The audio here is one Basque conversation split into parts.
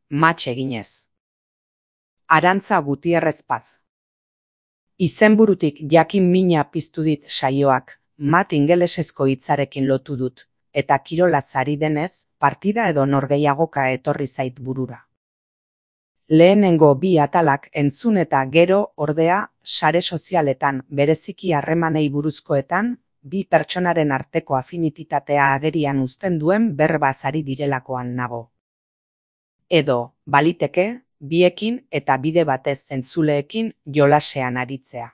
matx eginez. Arantza Gutierrez Paz. Izenburutik jakin mina piztu dit saioak, mat ingelesezko hitzarekin lotu dut, eta kirolaz ari denez, partida edo norgehiagoka etorri zait burura. Lehenengo bi atalak entzun eta gero, ordea, sare sozialetan, bereziki harremanei buruzkoetan, bi pertsonaren arteko afinitatea agerian uzten duen berbaz ari direlakoan nago. Edo, baliteke, biekin eta bide batez entzuleekin jolasean aritzea.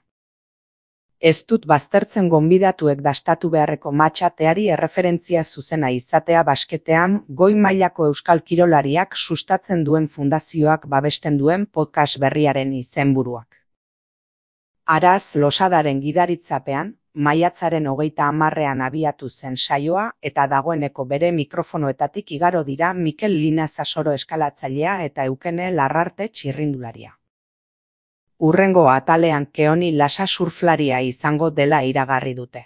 Ez dut baztertzen gonbidatuek dastatu beharreko matxateari erreferentzia zuzena izatea basketean goi mailako euskal kirolariak sustatzen duen fundazioak babesten duen podcast berriaren izenburuak. Araz Losadaren gidaritzapean, maiatzaren 30ean abiatu zen saioa eta dagoeneko bere mikrofonoetatik igaro dira Mikel Lina Sasoro eskalatzailea eta Eukene Larrarte txirrindularia. Hurrengo atalean Keoni Lasa surflaria izango dela iragarri dute.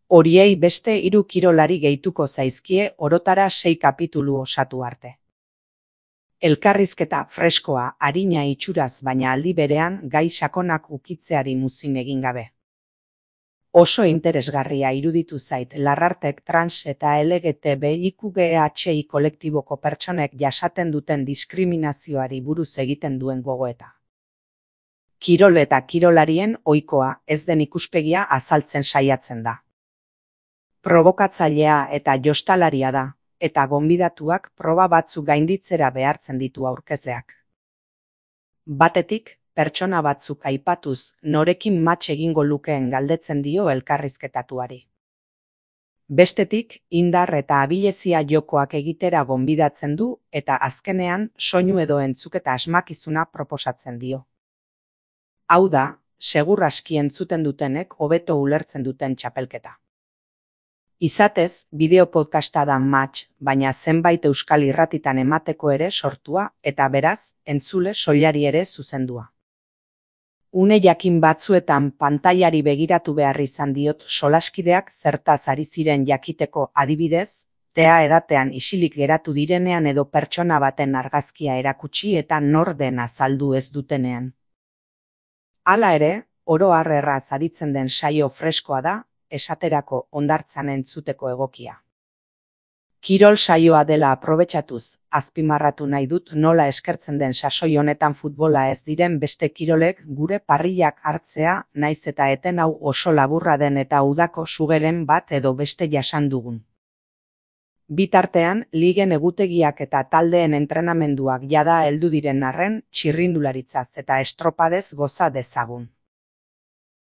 Horiei beste 3 kirolari gehituko zaizkie orotara 6 kapitulu osatu arte. Elkarrizketa freskoa, arina itxuraz baina aldi berean gai sakonak ukitzeari muzin egin gabe. Oso interesgarria iruditu zait Larrartek trans eta LGTBIQGHI kolektiboko pertsonek jasaten duten diskriminazioari buruz egiten duen gogoeta. Kirol eta kirolarien ohikoa ez den ikuspegia azaltzen saiatzen da. Probokatzailea eta jostalaria da, eta gonbidatuak proba batzuk gainditzera behartzen ditu aurkezleak. Batetik, pertsona batzuk aipatuz norekin matx egingo lukeen galdetzen dio elkarrizketatuari. Bestetik, indar eta abilezia jokoak egitera gonbidatzen du eta azkenean soinu edo entzuketa asmakizuna proposatzen dio. Hau da, segur aski entzuten dutenek hobeto ulertzen duten txapelketa. Izatez, bideo-podcasta da matx, baina zenbait euskal irratitan emateko ere sortua eta beraz, entzule soilari ere zuzendua. Une jakin batzuetan pantailari begiratu behar izan diot solaskideak zertaz ari ziren jakiteko adibidez, tea edatean isilik geratu direnean edo pertsona baten argazkia erakutsi eta nor den azaldu ez dutenean. Hala ere, oro har erraz aditzen den saio freskoa da, esaterako hondartzan entzuteko egokia. Kirol saioa dela aprobetxatuz, azpimarratu nahi dut nola eskertzen den sasoi honetan futbola ez diren beste kirolek gure parrillak hartzea naiz eta eten hau oso laburra den eta udako sugeren bat edo beste jasan dugun. Bitartean, ligen egutegiak eta taldeen entrenamenduak jada heldu diren arren txirrindularitzaz eta estropadez goza dezagun.